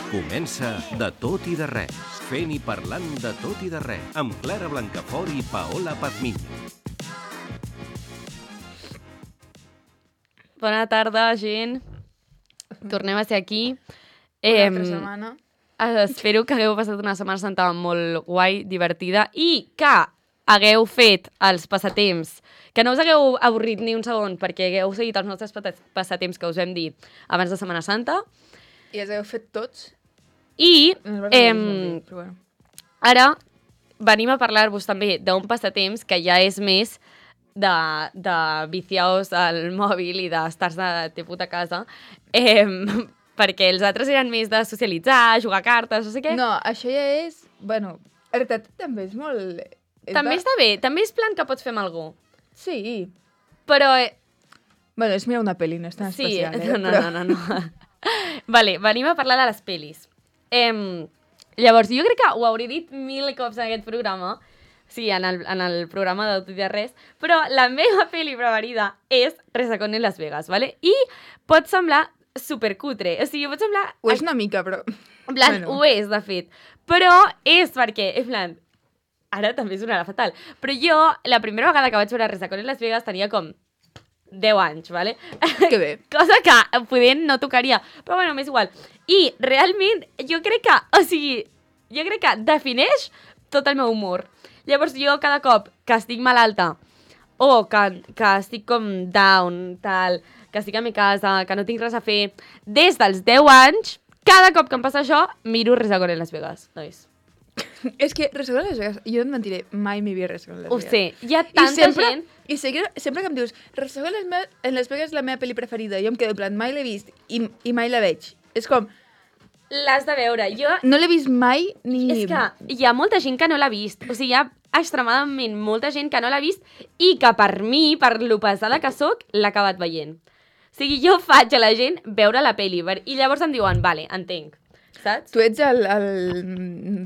Comença De tot i de res, fent i parlant de tot i de res, amb Clara Blancafort i Paola Pazmiño. Bona tarda, gent. Tornem a ser aquí. Una altra setmana. Espero que hagueu passat una Setmana Santa molt guai, divertida, i que hagueu fet els passatemps, que no us hagueu avorrit ni un segon, perquè hagueu seguit els nostres passatemps que us vam dir abans de Setmana Santa. I els heu fet tots? I Però bueno. ara venim a parlar-vos també d'un passatemps que ja és més de viciaos al mòbil i d'estar-se de puta casa, perquè els altres eren més de socialitzar, jugar a cartes, no sé què. No, això ja és... Bueno, en realitat també és molt... També està bé, també és plan que pots fer amb algú. Sí. Però... Bueno, és mirar una pel·li, no és tan sí, especial, no. Vale, venim a parlar de les pel·lis. Llavors, jo crec que ho hauré dit 1000 cops en aquest programa, sí, en el programa de Tot i de Res, però la meva pel·li preferida és Resacón en Las Vegas, ¿vale? I pot semblar supercutre, o sigui, pot semblar... Ho és una mica, però... En plan, bueno. Ho és, de fet, però és perquè, en plan, ara també sonarà fatal, però jo, la primera vegada que vaig veure Resacón en Las Vegas tenia com 10 anys, ¿vale? Que bé. Cosa que podent no tocaria, però bueno, m'és igual. I realment, jo crec que defineix tot el meu humor. Llavors jo cada cop que estic malalta o que estic com down, tal, que estic a mi casa, que no tinc res a fer, des dels 10 anys, cada cop que em passa això, miro Resacón en Las Vegas, nois. És que Resacón en Las Vegas, jo no et mentiré, mai m'hi havia Resacón en Las Vegas. Ho sé, hi ha tanta gent... I sempre que em dius Resacón en Las Vegas és la meva pel·li preferida, jo em quedo en plan, mai l'he vist i mai la veig. És com... L'has de veure, jo... No l'he vist mai ni... És que hi ha molta gent que no l'ha vist. O sigui, hi ha extremadament molta gent que no l'ha vist i que per mi, per lo pesada que sóc, l'ha acabat veient. O sigui, jo faig a la gent veure la pel·li i llavors em diuen, vale, entenc, saps? Tu ets el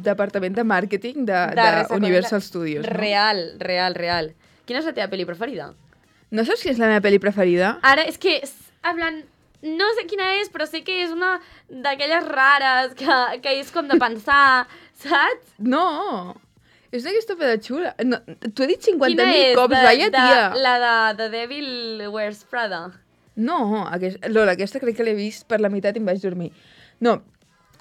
departament de màrqueting de Universal Studios, no? Real. Quina és la teva pel·li preferida? No saps quina és la meva pel·li preferida? Ara, és que, en plan... No sé quina és, però sé que és una d'aquelles rares, que és com de pensar, saps? No, és una aquesta peda xula. No, t'ho he dit 50.000 cops, vaya tia. La de The Devil Wears Prada. No, Lola, aquesta crec que l'he vist per la meitat i em vaig dormir. No,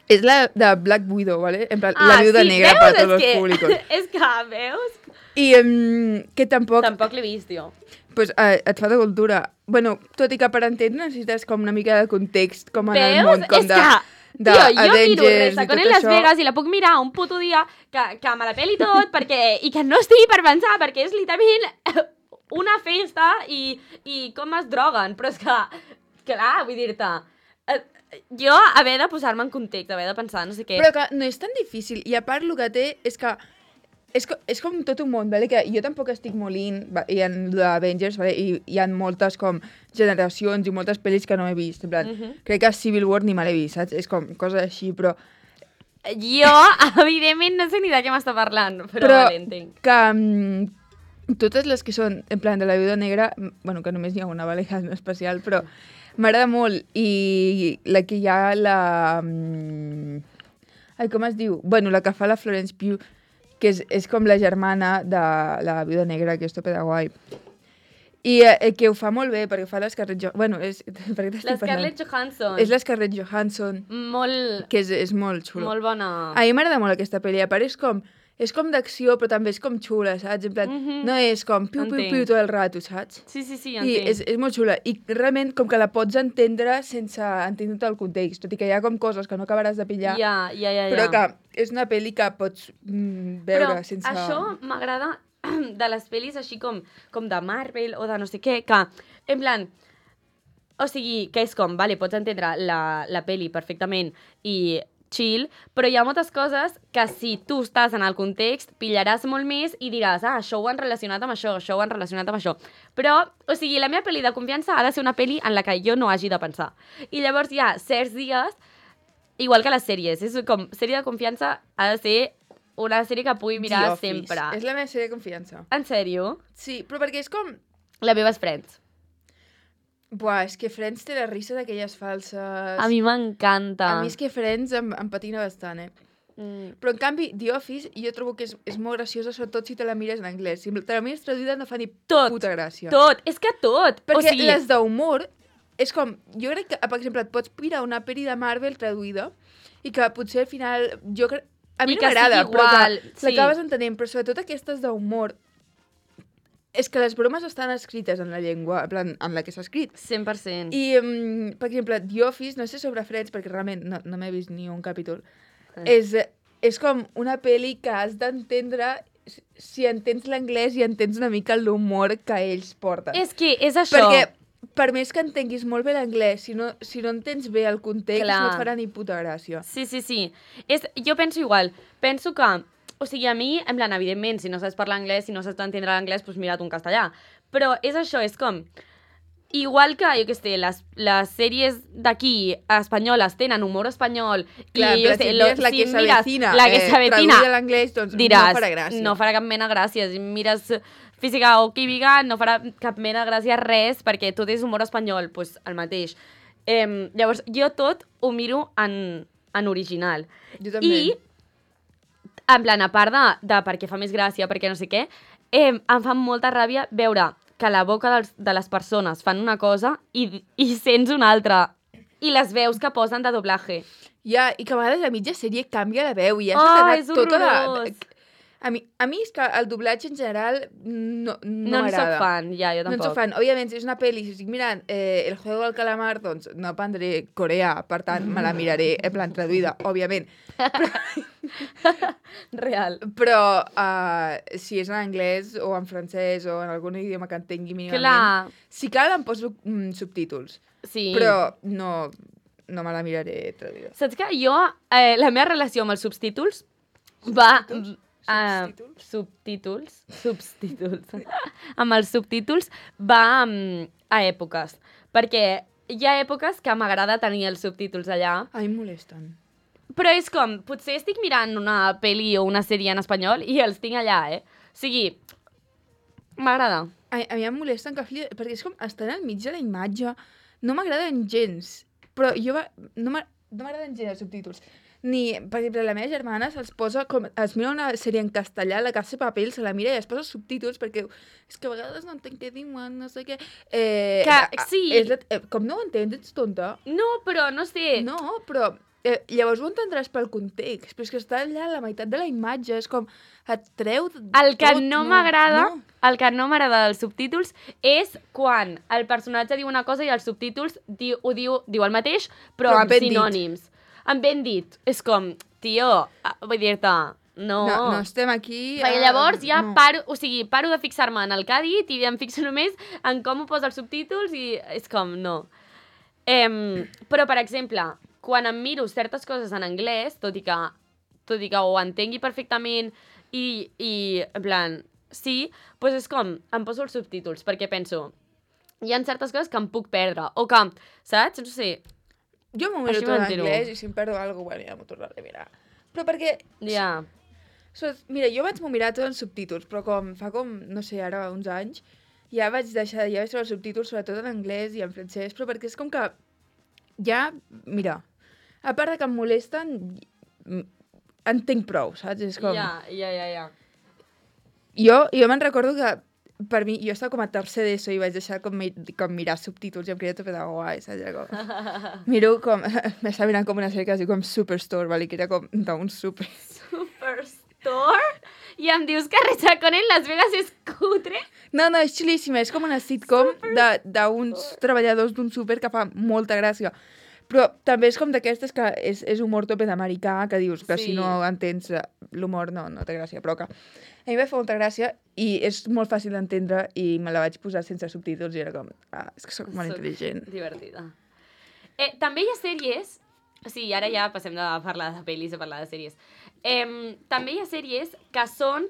és la de Black Widow, ¿vale? En plan, la viuda negra per a tots els públicos. És que, veus? I que tampoc... Tampoc l'he vist, jo. Pues et fa de cultura. Bueno, tot i que per entendre necessites com una mica de context, com en el món, com de Avengers jo miro Resacón en Las Vegas i la puc mirar un puto dia que me la peli tot i que no estigui per pensar, perquè és literalment una festa i com es droguen. Però és que, clar, vull dir-te... Jo haver de posar-me en context, haver de pensar, no sé què... Però que no és tan difícil. I a part, el que té és que és com tot un món, ¿vale? Que jo tampoc estic molt i en l'Avengers, ¿vale? I hi ha moltes com generacions i moltes pel·lis que no he vist. En plan, crec que Civil War ni me l'he vist, saps? És com coses així, però... Jo, evidentment, no sé ni de què m'està parlant, però vale, entenc. Que totes les que són, en plan, de la viuda negra, bueno, que només hi ha una, ¿vale? Que és especial, però m'agrada molt. I la que hi ha Ai, com es diu? Bueno, la que fa la Florence Pugh, que és com la germana de la viuda negra, que és tope de guai. I que ho fa molt bé, perquè fa l'Scarlett Johansson. Bueno, L'Scarlett Johansson. És l'Scarlett Johansson. Molt... Que és molt xulo. Molt bona. A mi m'agrada molt aquesta pel·li. A part és com d'acció, però també és com xula, saps? En plan, no és com piu tot el rato, saps? Sí, entenc. I és molt xula. I realment com que la pots entendre sense entendre tot el context, tot i que hi ha com coses que no acabaràs de pillar. Ja. Però que és una pel·li que pots veure sense... Però això m'agrada de les pel·lis així com de Marvel o de no sé què, que, en plan... O sigui, que és com, vale, pots entendre la pel·li perfectament i... chill, però hi ha moltes coses que si tu estàs en el context pillaràs molt més i diràs, això ho han relacionat amb això, això ho han relacionat amb això. Però, o sigui, la meva pel·li de confiança ha de ser una pel·li en la que jo no hagi de pensar. I llavors hi ha certs dies, igual que les sèries, és com, sèrie de confiança ha de ser una sèrie que pugui mirar sempre. És la meva sèrie de confiança. En sèrio? Sí, però perquè és com... La meva és Friends. Buah, és que Friends té les risses aquelles falses. A mi m'encanta. A mi és que Friends em patina bastant, Però, en canvi, The Office, jo trobo que és molt graciosa, sobretot si te la mires en anglès. Si te la mires traduïda no fa ni puta gràcia. Tot, és que tot. Perquè les d'humor, és com... Jo crec que, per exemple, et pots mirar una pel·li de Marvel traduïda i que potser al final... A mi no m'agrada, però que l'acabes entenent. Però sobretot aquestes d'humor, és que les bromes estan escrites en la llengua, en plan, en la que s'ha escrit. 100%. I, per exemple, The Office, no sé sobre Friends, perquè realment no m'he vist ni un capítol, és com una pel·li que has d'entendre si entens l'anglès i entens una mica l'humor que ells porten. És que és això. Perquè per més que entenguis molt bé l'anglès, si no entens bé el context, no et farà ni puta gràcia. Sí. Jo penso igual. Penso que, o sigui, a mi, en plan, evidentment, si no saps parlar anglès, si no saps entendre l'anglès, doncs mira't un castellà. Però és això, és com... Igual que, jo què sé, les sèries d'aquí espanyoles tenen humor espanyol clar, i jo sé, la que s'avecina traduïda a l'anglès, doncs diràs, no farà gràcia. No farà cap mena de gràcia. Si mires física o química, no farà cap mena de gràcia res, perquè tot és humor espanyol, doncs el mateix. Llavors, jo tot ho miro en original. Jo també. I, en plan, a part de perquè fa més gràcia, perquè no sé què, em fa molta ràbia veure que la boca de les persones fan una cosa i sents una altra. I les veus que posen de doblatge. Ja, i que a vegades a mitja sèrie canvia la veu i ja s'ha quedat és horrorós. A mi és que el doblatge en general no m'agrada. No en soc fan, ja, jo tampoc. No en soc fan. Òbviament, si és una pel·li, si estic mirant El juego del calamar, doncs no aprendré coreà, per tant, me la miraré en plan traduïda, òbviament. Real. Però si és en anglès o en francès o en algun idioma que entengui mínimament, clar. Si cal em poso subtítols. Sí. Però no me la miraré traduïda. Saps que jo, la meva relació amb els subtítols va... Subtítols? Amb els subtítols va a èpoques. Perquè hi ha èpoques que m'agrada tenir els subtítols allà. A mi em molesten. Però és com, potser estic mirant una pel·li o una sèrie en espanyol i els tinc allà, O sigui, m'agrada. A mi em molesten que perquè és com estan al mig de la imatge. No m'agraden gens. Però no m'agraden gens els subtítols. Ni, per exemple, la meva germana es mira una sèrie en castellà, La Casa de Papel, se la mira i es posa subtítols perquè és que a vegades no entenc què diuen, no sé què. Sí. Com no ho entens, ets tonta? No, però no sé. No, però llavors ho entendràs pel context, però és que està allà a la meitat de la imatge, és com et treu el que tot, no m'agrada, el que no m'agrada dels subtítols és quan el personatge diu una cosa i els subtítols diu el mateix, però amb sinònims. Amb ben dit. És com, tio, vull dir-te, no estem aquí... Perquè llavors ja paro de fixar-me en el que ha dit i em fixo només en com ho posa els subtítols i és com, no. Però, per exemple, quan em miro certes coses en anglès, tot i que ho entengui perfectament i en plan, sí, doncs és com, em poso els subtítols, perquè penso, hi ha certes coses que em puc perdre, o que, saps? No sé... Jo m'ho miro tot en anglès i si em perdo alguna cosa, bueno, ja m'ho tornaré a mirar. Però perquè... Ja. Mira, jo vaig mirar tot en subtítols, però fa no sé, ara uns anys, ja vaig veure els subtítols sobretot en anglès i en francès, però perquè és com que ja, mira, a part de que em molesten, entenc prou, saps? És com... Ja. Jo me'n recordo que per mi, jo estava com a tercer d'ESO i vaig deixar com mirar subtítols i em creia tot de guai, saps? Miro com... M'estava mirant com una sèrie que es diu com Superstore, vale? Que era com d'un super... Superstore? I em dius que Rechacón en Las Vegas és cutre? No, és xulíssima, és com una sitcom d'uns treballadors d'un súper que fa molta gràcia. Però també és com d'aquestes que és humor tope d'americà, que dius que si no entens l'humor no té gràcia, però que a mi em va fer molta gràcia i és molt fàcil d'entendre i me la vaig posar sense subtítols i era com, és que soc molt intel·ligent. Divertida. També hi ha sèries, o sigui, ara ja passem de parlar de pel·lis a parlar de sèries. També hi ha sèries que són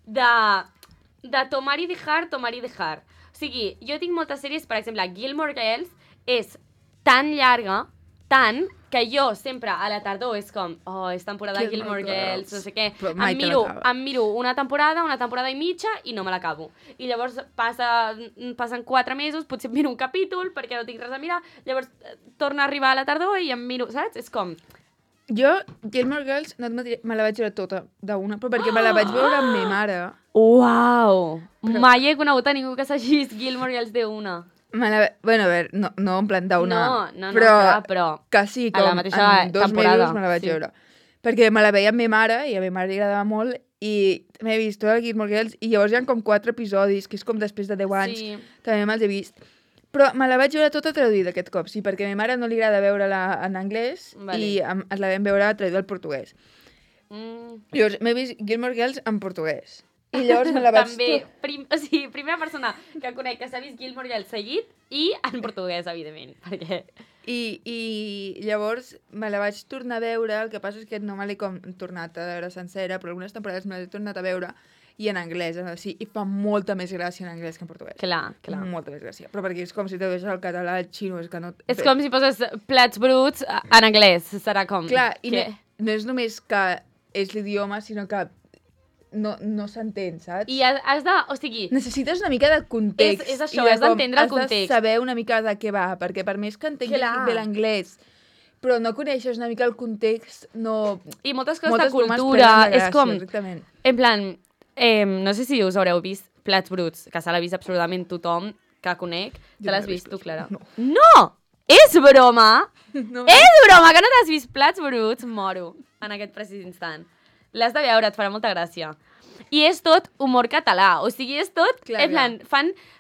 de tomar i dejar. O sigui, jo tinc moltes sèries, per exemple, Gilmore Girls és tan llarga tant que jo sempre a la tardor és com, és temporada de Gilmore Gilmore Girls, Girls. no sé què. Però mai te l'acabes. Em miro una temporada i mitja i no me l'acabo. I llavors passen 4 mesos, potser em miro un capítol perquè no tinc res a mirar, llavors torna a arribar a la tardor i em miro, saps? És com... Jo, Gilmore Girls, no et mentiré, me la vaig veure tota d'una, però perquè me la vaig veure amb ma mare. Uau! Mai he conegut a ningú que s'hagi vist Gilmore Girls d'una. Bueno, a veure, no en plan d'una, No, però, clar, però quasi a la com mateixa en 2 temporada, mesos me la vaig sí. veure. Perquè me la veia amb ma mare, i a ma mare li agradava molt, i m'he vist tota la Gilmore Girls, i llavors hi ha com 4 episodis, que és com després de 10 anys, Sí. també me'ls he vist. Però me la vaig veure tota traduïda aquest cop, sí, perquè a ma mare no li agrada veure-la en anglès, Vale. i ens la vam veure traduïda al portuguès. Llavors, m'he vist Gilmore Girls en portuguès. I llavors me la vaig... També, o sigui, primera persona que conec que s'ha vist Gilmore Girls seguit i en portuguès, evidentment, perquè... I llavors me la vaig tornar a veure, el que passa és que no me l'he com tornat a veure sencera, però algunes temporades me l'he tornat a veure i en anglès, sí, i fa molta més gràcia en anglès que en portuguès. Clar. Molta més gràcia, però perquè és com si te veus el català, el xino, és que no... És com si poses plats bruts en anglès, serà com... Clar, i que... no és només que és l'idioma, sinó que no s'entén, saps? I has de... O sigui... Necessites una mica de context. És això, i has d'entendre el Has de context. saber una mica de què va, perquè per més que entenguis Clar. bé l'anglès, però no coneixes una mica el context, no... I moltes coses Moltes de bromes cultura, perden la és gràcia, com... exactament. En plan, no sé si us haureu vist Plats Bruts, que se l'ha vist absolutament tothom que conec. Jo Te l'has no l'he vist tu, vist, Clara? no. No! És broma! No. És broma, que no t'has vist Plats Bruts? Moro en aquest precís instant. L'has de veure, et farà molta gràcia. I és tot humor català, o sigui, és tot, Clar, en plan,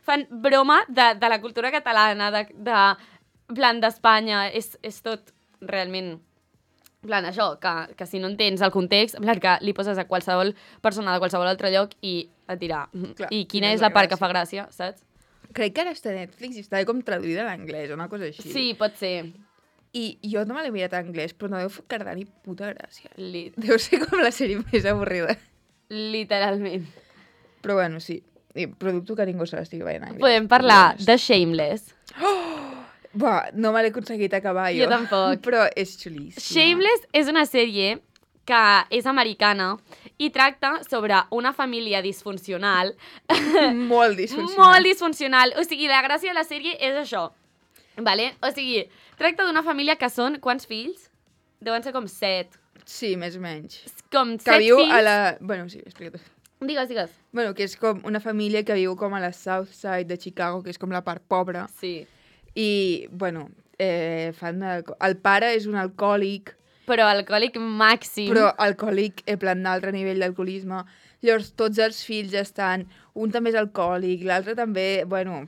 fan broma de la cultura catalana, en plan, d'Espanya, és tot realment, en plan, això, que si no entens el context, en plan, que li poses a qualsevol persona de qualsevol altre lloc i et dirà, Clar, i quina quina és és la la part que gràcia. fa gràcia, saps? Crec que ara està a Netflix i està com traduïda a l'anglès, una cosa així. Sí, pot ser. I jo no me l'he mirat en anglès, però no deu quedar ni puta gràcia. Li- Deu ser com la sèrie més avorrida. Literalment. Però bueno, sí. I producto que ningú se l'estigui veient en anglès. Podem parlar de Shameless. Buah, no me l'he aconseguit acabar jo. Jo tampoc. Però és xulíssima. Shameless és una sèrie que és americana i tracta sobre una família disfuncional. Molt disfuncional. Molt disfuncional. O sigui, la gràcia de la sèrie és això. Vale? O sigui, tracta d'una família que són... Quants fills? Deuen ser com 7. Sí, més o menys. Com 7 Que viu fills. a la... Bueno, sí, explica't. Digues. Bueno, que és com una família que viu com a la South Side de Chicago, que és com la part pobra. Sí. I, bueno, el pare és un alcohòlic, Però alcohòlic màxim. però alcohòlic, en plan, d'altre nivell d'alcoholisme. Llavors, tots els fills estan... Un també és alcohòlic, l'altre també... Bueno...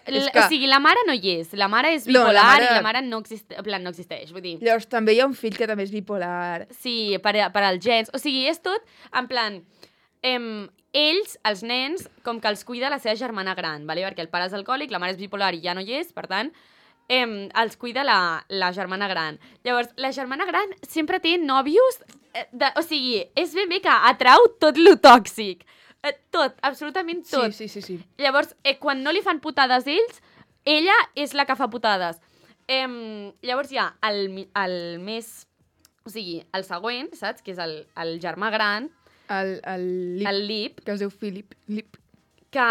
és que- O sigui, la mare no hi és. La mare és No, bipolar la mare- i la mare no, no existeix. Vull dir, Llavors, també hi ha un fill que també és bipolar. sí, per als gens. O sigui, és tot en plan... ells, els nens, com que els cuida la seva germana gran, vale? Perquè el pare és alcohòlic, la mare és bipolar i ja no hi és, per tant, els cuida la germana gran. Llavors, la germana gran sempre té nòvios, o sigui, és ben bé que atrau tot lo tòxic. Tot, absolutament tot. Sí. Llavors, quan no li fan putades ells, ella és la que fa putades. Llavors hi ha el més... O sigui, el següent, saps? Que és el germà gran, El Lip, el Lip, que es diu Philip, Lip, que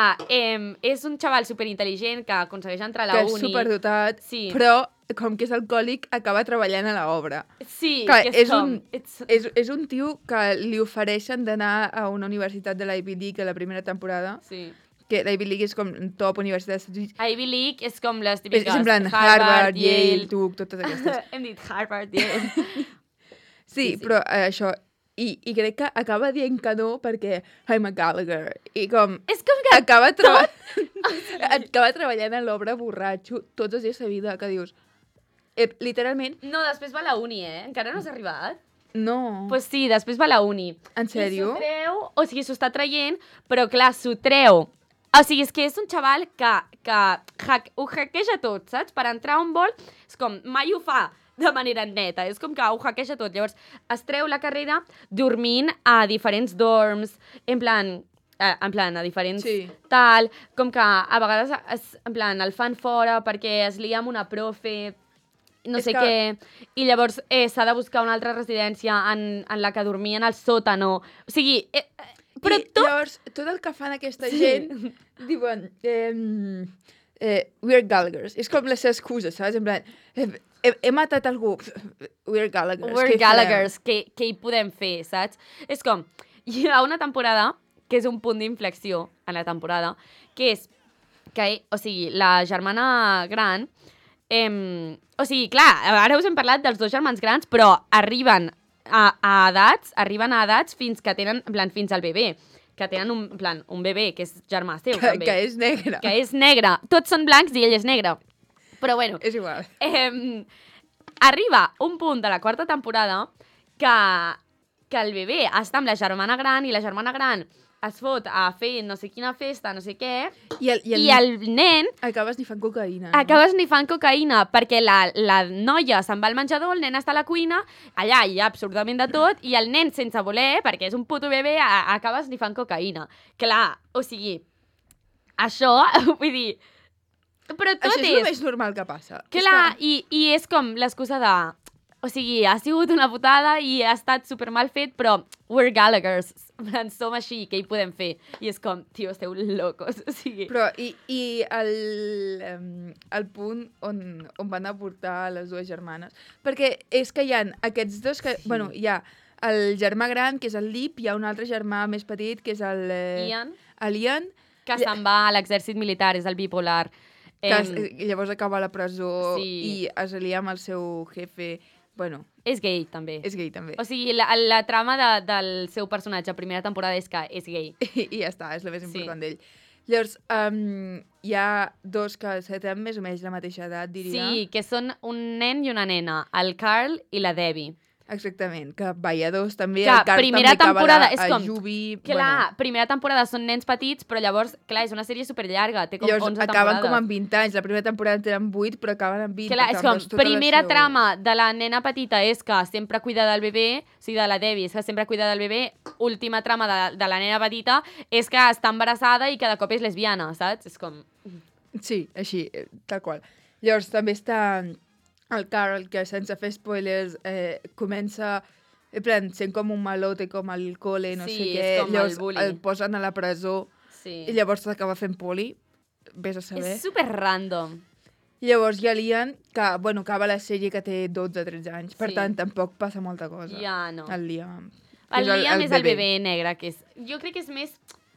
és un xaval superintel·ligent que aconsegueix entrar a la que és uni. superdotat, Sí. però com que és alcohòlic, acaba treballant a l'obra. Sí, Clar, que és és com... És un tio que li ofereixen d'anar a una universitat de l'Ivy League a la primera temporada, Sí. que l'Ivy League és com top universitat dels Estats Units. Ivy League és com les És típiques... en plan Harvard, Yale, Duke, totes aquestes. Hem dit Harvard, Yale. Sí, sí. però això... I crec que acaba dient que no perquè I'm a Gallagher. I com... És com que... Acaba treballant a l'obra borratxo tots els dies de vida, que dius... literalment, No, després va a la uni, Encara no has arribat? no. Pues sí, després va a la uni. En sèrio? I s'ho treu, o sigui, s'ho està traient, però clar, s'ho treu. O sigui, és que és un xaval que ho hackeja tot, saps? Per entrar on vol, és com, mai ho fa de manera neta, és com que ho hackeja tot. Llavors, es treu la carrera dormint a diferents dorms, en plan, a diferents Sí. tal, com que a vegades en plan, el fan fora perquè es lia amb una profe no És sé que- què, i llavors s'ha de buscar una altra residència en la que dormien al sòtano. O sigui, però I llavors, tot el que fan aquesta gent, diuen, we're Gallaghers. És com les excuses, saps? En plan, he matat algú, we're Gallaghers. We're Gallaghers, què hi podem fer, saps? És com, hi ha una temporada que és un punt d'inflexió en la temporada, que és que, o sigui, la germana gran... o sigui, clar, ara us hem parlat dels dos germans grans, però arriben a edats fins que tenen, en plan, fins al bebè, que tenen un bebè que és germà seu, també. Que és negre. Que és negre. Tots són blancs i ell és negre. Però bueno, És igual. arriba un punt de la quarta temporada que el bebè està amb la germana gran i la germana gran es fot a fer no sé quina festa, no sé què, i el nen acaba esnifant cocaïna. No? acaba esnifant cocaïna perquè la noia se'n va al menjador, el nen està a la cuina, allà hi ha absolutament de tot, i el nen, sense voler, perquè és un puto bebè, acaba esnifant cocaïna. Clar, o sigui, això, vull dir... Però tot Això és el més normal que passa. Clar, i és com l'excusa de... O sigui, ha sigut una putada i ha estat super mal fet, però we're Gallaghers. Som així, què hi podem fer? I és com, tio, esteu locos. O sigui... Però, i el punt on van aportar les dues germanes. Perquè és que hi ha aquests dos que... Sí. Bueno, hi ha el germà gran, que és el Lip, hi ha un altre germà més petit, que és el... Ian. Que se'n va a l'exèrcit militar, és el bipolar. Que llavors acaba a la presó sí. I es lia amb el seu jefe... Bueno... És gay, també. És gay, també. O sigui, la trama del seu personatge a primera temporada és que és gay. I ja està, és la més important d'ell. Llavors, hi ha dos que tenen més o menys la mateixa edat, diria. Sí, que són un nen i una nena, el Carl i la Debbie. Exactament, que balladors també, que el Carl primera també temporada, acaba és com, Jubi... Clar, primera temporada són nens petits, però llavors, clar, és una sèrie superllarga, té com llavors 11 acaben temporades. com amb 20 anys, la primera temporada tenen 8, però acaben amb 20. Clar, és com, primera trama de la nena petita és que sempre cuida del bebè, o sigui, de la Debbie, és que sempre cuida del bebè, última trama de la nena petita és que està embarassada i que de cop és lesbiana, saps? És com... Sí, així, tal qual. Llavors també està el Carl, que sense fer spoilers comença... En plan, sent com un malote, com al col·le, no sé què. és com llavors el bully. el posen a la presó i llavors s'acaba fent poli. Vés a saber. És super random. Llavors hi ha l'Ian, que, bueno, acaba la sèrie que té 12-13 anys. Per tant, tampoc passa molta cosa. Ja, no. El Liam. El Liam és el bebè negre, que és... Jo crec que és més...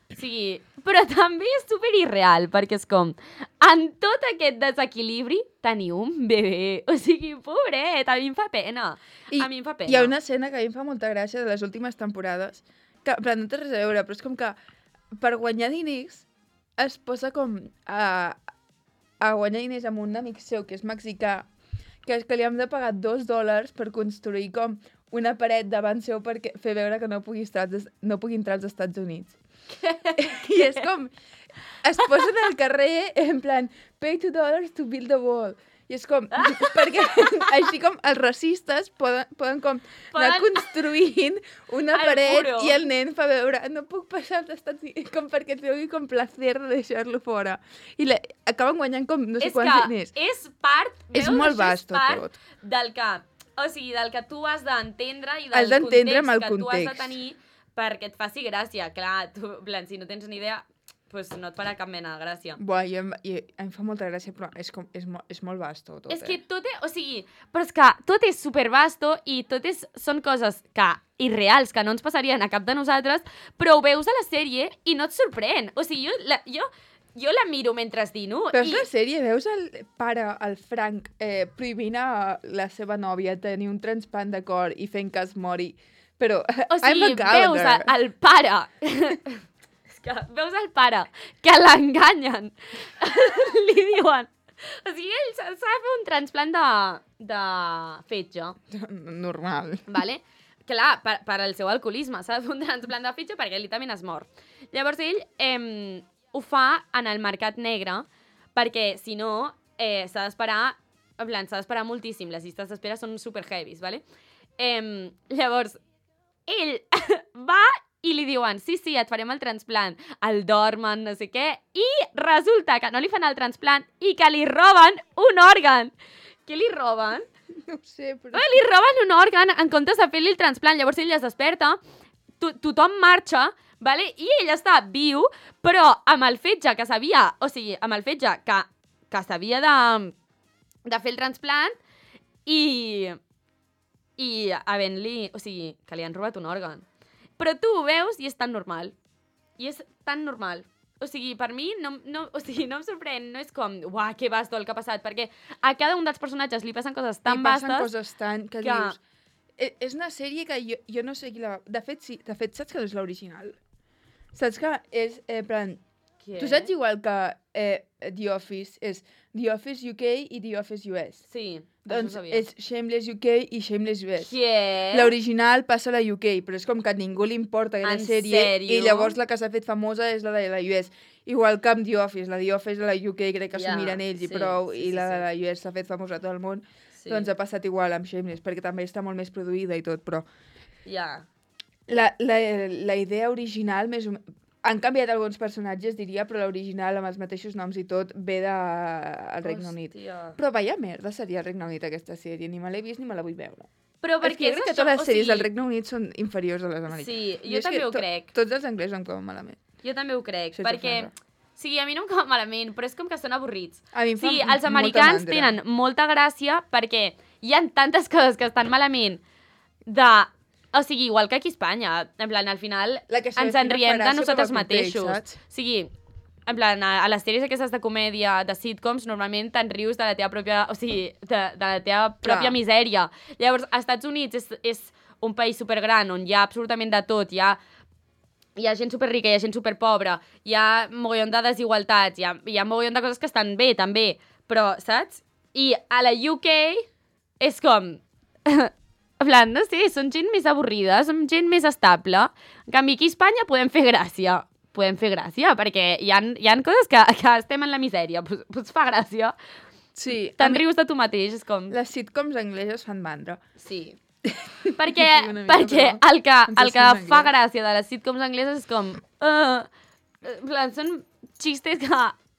O sigui, però també és super irreal, perquè és com, en tot aquest desequilibri teniu un bebè. O sigui, pobret, a mi em fa pena. A mi em fa pena. Hi ha una escena que a mi em fa molta gràcia de les últimes temporades, que, en plan, no té res a veure, però és com que per guanyar diners es posa com a guanyar diners amb un amic seu, que és mexicà, que li hem de pagar $2 per construir com una paret davant seu per fer veure que no pugui entrar als Estats Units. I és com... Es posen al carrer en plan pay $2 to build a wall. I és com... Perquè així com els racistes poden com anar construint una paret i el nen fa veure no puc passar als Estats Units com perquè tingui com placer de deixar-lo fora. I acaben guanyant com no sé quants diners. És part... És molt vast tot. Del que... O sigui, del que tu has d'entendre i del context que tu has de tenir perquè et faci gràcia. Clar, tu, si no tens ni idea, pues no et farà cap mena de gràcia. Buah, em fa molta gràcia, però és molt vasto tot. És que tot és... O sigui, però és que tot és supervasto i són coses que irreals, que no ens passarien a cap de nosaltres, però ho veus a la sèrie i no et sorprèn. O sigui, jo la miro mentre dino. Veus la sèrie, veus el pare, el Frank, prohibint a la seva nòvia tenir un transplant de cor i fent que es mori. Però, o sigui, veus el pare... És que veus el pare que l'enganyen. Li diuen... O sigui, ell s'ha de fer un transplant de fetge. Normal. Vale? Clar, per al seu alcoholisme. S'ha de fer un transplant de fetge perquè ell també es mor. Llavors ell ho fa en el mercat negre perquè, si no, s'ha d'esperar... En plan, s'ha d'esperar moltíssim. Les llistes d'espera són super heavies, vale? Llavors, ell va i li diuen, sí, et farem el transplant, el dormen, no sé què, i resulta que no li fan el transplant i que li roben un òrgan. Què li roben? No ho sé, però... Li roben un òrgan en comptes de fer-li el transplant. Llavors ell es desperta, tothom marxa, vale? I ell està viu, però amb el fetge que s'havia... O sigui, amb el fetge que s'havia de fer el transplant i havent-li... O sigui, que li han robat un òrgan. Però tu ho veus i és tan normal. I és tan normal. O sigui, per mi no em sorprèn, no és com, uah, que vasto el que ha passat, perquè a cada un dels personatges li passen coses tan vastes... Li passen coses tan... que dius... És una sèrie que jo no sé qui la... De fet, sí. De fet, saps que no és l'original? Saps que és, plan... Què? Tu saps igual que The Office és The Office UK i The Office US? Sí, Doncs això ho sabia. és Shameless UK i Shameless US. Què? L'original passa a la UK, però és com que a ningú li importa aquella En sèrie. sèrio? I llavors la que s'ha fet famosa és la de la US. Igual que amb The Office. La The Office de la UK crec que s'ho miren ells i prou. I la de la US s'ha fet famosa a tot el món. Sí. Doncs ha passat igual amb Shameless, perquè també està molt més produïda i tot, però... Ja. La idea original, més o menys... Han canviat alguns personatges, diria, però l'original, amb els mateixos noms i tot, ve del Regne Unit. Però vaya merda seria el Regne Unit, aquesta sèrie. Ni me l'he vist ni me la vull veure. Però perquè és que totes les sèries del Regne Unit són inferiors a les americanes. Sí, jo també ho crec. Tots els anglesos em cauen malament. Jo també ho crec, Sense perquè... ofendre. Sí, a mi no em cau malament, però és com que són avorrits. A mi em fa Sí, els molta americans mandra. tenen molta gràcia perquè hi ha tantes coses que estan malament de... O sigui, igual que aquí a Espanya. En plan, al final La que ens s'avecina enriem farà de nosaltres sota el context, mateixos. saps? O sigui, en plan, a les sèries aquestes de comèdia, de sitcoms, normalment te'n rius de la teva pròpia... O sigui, de la teva pròpia misèria. Llavors, als Estats Units és un país supergran on hi ha absolutament de tot, hi ha gent superrica, hi ha gent superpobra, hi ha mogollon de desigualtats, hi ha mogollon de coses que estan bé, també, però, saps? I a la UK és com... En plan, no sé, són gent més avorrida, són gent més estable. En canvi, aquí a Espanya podem fer gràcia. Podem fer gràcia, perquè hi ha coses que estem en la misèria. Pues fa gràcia. Sí. Te'n rius de tu mateix, és com... Les sitcoms angleses fan mandra. Sí. perquè Una mica, el que en fa anglès. gràcia de les sitcoms angleses és com... en plan, són xistes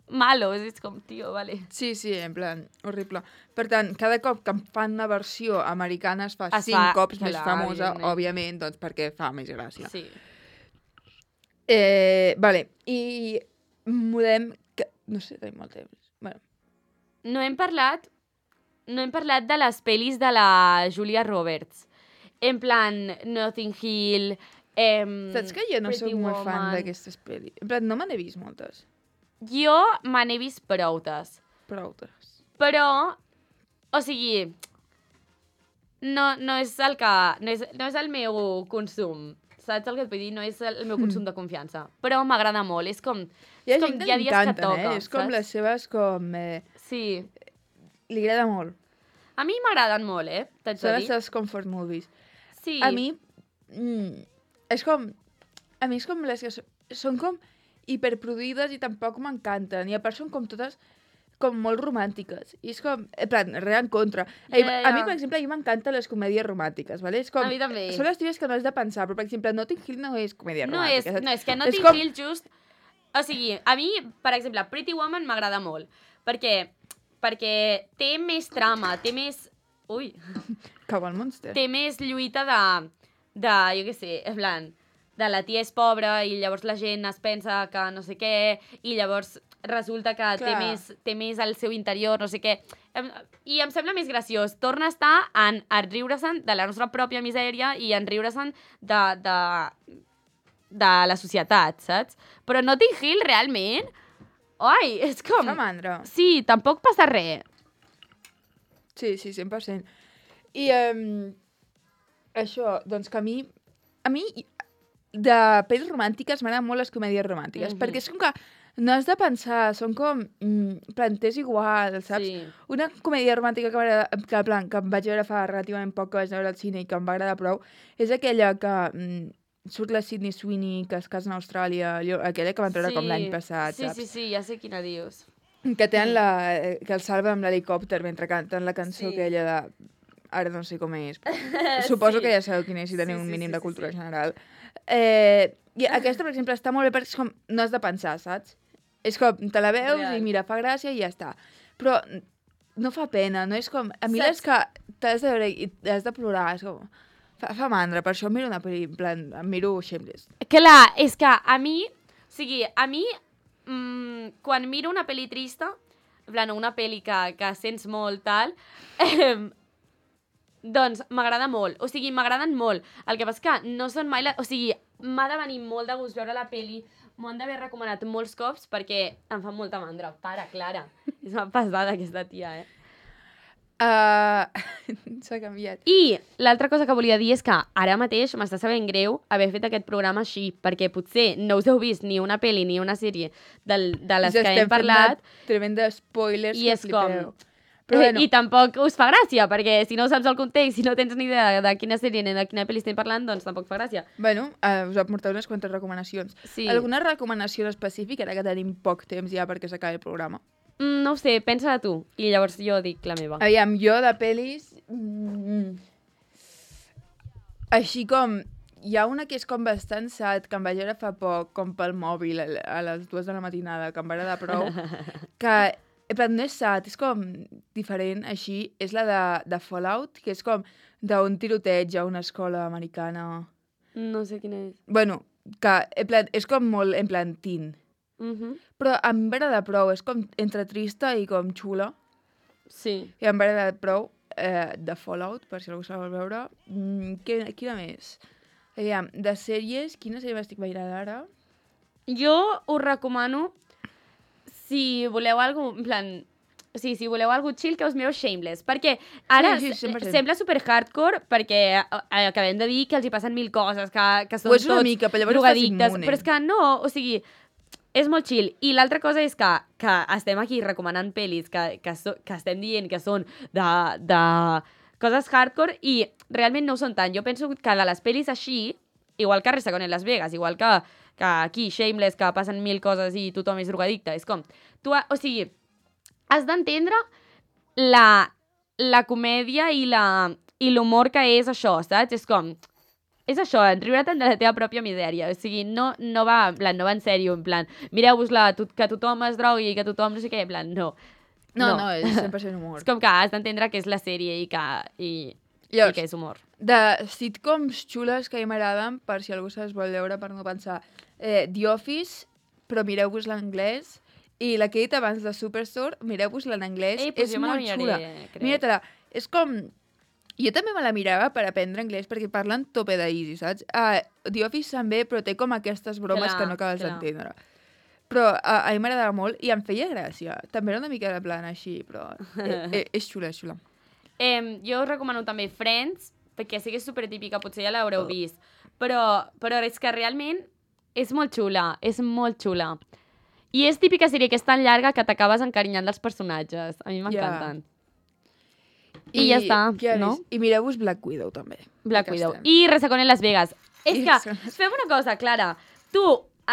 malos, és com, tio, vale. Sí, en plan, horrible. Per tant, cada cop que em fan una versió americana es fa 5 cops més famosa, evidentment. òbviament, doncs perquè fa més gràcia. Sí. Vale, i podem... No sé, tenim molt temps. Bueno, No hem parlat de les pel·lis de la Julia Roberts. En plan, Notting Hill... saps que jo no Pretty soc molt fan Woman. d'aquestes pel·lis? En plan, no me n'he vist moltes. Jo me n'he vist proutes. Proutes. Però, o sigui, no és el que... No és el meu consum. Saps el que et vull dir? No és el meu consum de confiança. Però m'agrada molt. És com... Hi ha és com gent que hi ha li dies que encanten, toca, És com saps? les seves, com... Sí. Li agrada molt. A mi m'agraden molt, t'haig Són de les dir. seves comfort movies. Sí. A mi... és com... A mi és com les que són com hiperproduïdes i tampoc m'encanten. I a part són com totes com molt romàntiques. I és com... En plan, res en contra. A mi, per exemple, a mi m'encanten les comèdies romàntiques, ¿vale? És com... A mi també. Són les típiques que no has de pensar, però, per exemple, Notting Hill no és comèdia romàntica. No, és que Notting Hill just... O sigui, a mi, per exemple, Pretty Woman m'agrada molt. Perquè té més trama, té més... Ui! Cau el Monster. Té més lluita de jo què sé, en plan, de la tia és pobra i llavors la gent es pensa que no sé què i llavors resulta que té més al seu interior, no sé què. I em sembla més graciós. Torna a estar en riure-se'n de la nostra pròpia misèria i en riure-se'n de la societat, saps? Però Notting Hill, realment... Oi, és com... Fa mandra. Sí, tampoc passa res. Sí, 100%. I això, doncs que a mi de pel·lis romàntiques m'agraden molt les comèdies romàntiques, perquè és com que no has de pensar, són com planters igual, saps? Sí. Una comèdia romàntica que em vaig veure fa relativament poc que vaig veure al cine i que em va agradar prou, és aquella que surt la Sydney Sweeney, que es casa a Austràlia, aquella que van treure com l'any passat, saps? Sí, ja sé quina dius. Que tenen que el salva amb l'helicòpter mentre canten la cançó aquella de... Ara no sé com és, però suposo que ja sabeu quina és si teniu un mínim de cultura general. I aquesta, per exemple, està molt bé perquè és com, no has de pensar, saps? És com, te la veus i mira, fa gràcia i ja està. Però no fa pena, no és com... A mi les que t'has de veure i has de plorar, és com... Fa mandra, per això miro una pel·li, en plan, em miro Shameless. Clar, és que a mi, quan miro una pel·li trista, en plan, una pel·li que sents molt, tal, doncs m'agrada molt. O sigui, m'agraden molt. El que passa que no són mai... O sigui, m'ha de venir molt de gust veure la pel·li, m'ho han d'haver recomanat molts cops perquè em fa molta mandra. Para, Clara. És una pesada aquesta tia, S'ha canviat. I l'altra cosa que volia dir és que ara mateix m'està sabent greu haver fet aquest programa així, perquè potser no us heu vist ni una pel·li ni una sèrie de les que hem parlat. Tremendes spoilers i que és com... flipeu. Però bueno. I tampoc us fa gràcia, perquè si no saps el context, si no tens ni idea de quina sèrie ni de quina pel·li estem parlant, doncs tampoc fa gràcia. Bueno, us vam portar unes quantes recomanacions. Sí. Alguna recomanació específica, ara que tenim poc temps ja perquè s'acabi el programa? No ho sé, pensa-la tu, i llavors jo dic la meva. Aviam, jo de pel·lis... Així com... Hi ha una que és com bastant sad, que em vaig veure fa poc, com pel mòbil, a les 2 de la matinada, que em va agradar prou, que no és sad, és com diferent, així, és la de Fallout, que és com d'un tiroteig a una escola americana. No sé quina és. Bueno, que és com molt en plan teen. Però em va agradar prou, és com entre trista i com xula. Sí. I em va agradar prou de Fallout, per si algú se la vol veure. Quina més? Aviam, de sèries, quina sèrie m'estic veient ara? Jo us recomano, si voleu algo, en plan... Sí, si voleu algo chill, que us mireu Shameless. Perquè ara sí, sembla super hardcore, perquè acabem de dir que els hi passen 1000 coses, que són és una tots mica, però llavors drogadictes. estàs immune. Però és que no, o sigui, és molt chill. I l'altra cosa és que estem aquí recomanant pel·lis que estem dient que són de coses hardcore i realment no ho són tant. Jo penso que de les pel·lis així, igual que Resacón en Las Vegas, igual que aquí Shameless, que passen 1000 coses i tothom és drogadicte, és com... O sigui, has d'entendre la comèdia i l'humor que és això, saps? És com... És això, riure't de la teva pròpia misèria. O sigui, no va en sèrio, en plan, mireu-vos-la, que tothom es drogui, que tothom no sé què, en plan, no. No, és 100% humor. És com que has d'entendre que és la sèrie i que és humor. De sitcoms xules que a mi m'agraden, per si algú se les vol veure, per no pensar, The Office, però mireu-vos l'anglès, i la que he dit abans de Superstore, mireu-vos-la en anglès, és molt xula. Mira-te-la, és com... Jo també me la mirava per aprendre anglès perquè parlen tope d'easy, saps? The Office també, però té com aquestes bromes que no acabes d'entendre. Però a mi m'agradava molt i em feia gràcia. També era una mica de plan així, però és xula, és xula. Jo us recomano també Friends, perquè sí que és supertípica, potser ja l'haureu vist, però és que realment és molt xula, és molt xula. I és típica sèrie que és tan llarga que t'acabes encarinyant dels personatges. A mi m'encanten. I ja està, no? I mireu-vos Black Widow, també. Black Widow. I Resacón en Las Vegas. És que, fem una cosa, Clara. Tu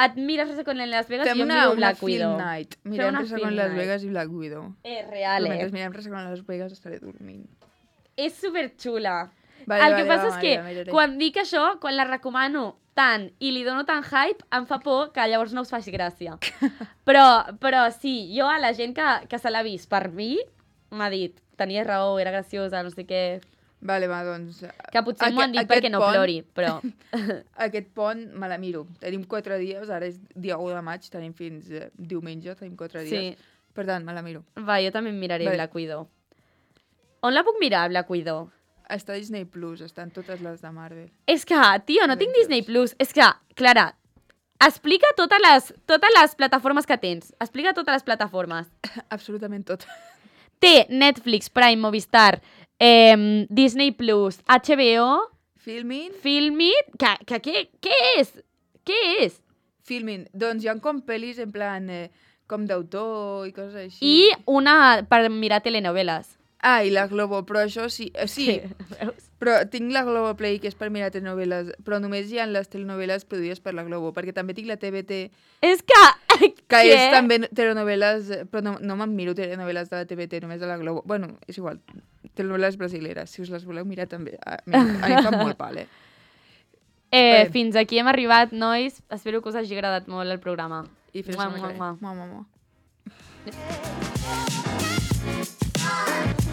et mires Resacón en Las Vegas i jo miro Black Widow. Fem una film night. Mirem Resacón en Las Vegas i Black Widow. És real, Mentre mirem Resacón en Las Vegas estaré dormint. És superxula. El que passa és que quan dic això, quan la recomano tant i li dono tant hype, em fa por que llavors no us faci gràcia. Però sí, jo a la gent que se l'ha vist per mi m'ha dit, tenies raó, era graciosa, no sé què... Vale, va, doncs... Que potser m'ho han dit perquè no plori, però... Aquest pont me la miro. Tenim 4 dies, ara és dia 1 de maig, tenim fins diumenge, tenim 4 dies. Sí. Per tant, me la miro. Va, jo també em miraré Black Widow. On la puc mirar, Black Widow? Està a Disney Plus, estan totes les de Marvel. És que, tio, no tinc Disney Plus. És que, Clara, explica totes les plataformes que tens. Explica totes les plataformes. Absolutament totes. Té Netflix, Prime, Movistar, Disney Plus, HBO... Filmin... Què és? Què és? Filmin. Doncs hi ha com pel·lis en plan com d'autor i coses així. I una per mirar telenoveles. I la Globo, però això sí. Sí, però tinc la Globoplay, que és per mirar telenoveles, però només hi ha les telenoveles produïdes per la Globo, perquè també tinc la TVT... És que és també telenoveles, però no me'n miro telenoveles de la TVT, només de la Globo. Bueno, és igual, telenoveles brasileres, si us les voleu mirar també. A mi em fa molt pal, Fins aquí hem arribat, nois. Espero que us hagi agradat molt el programa. I fins la setmana que ve.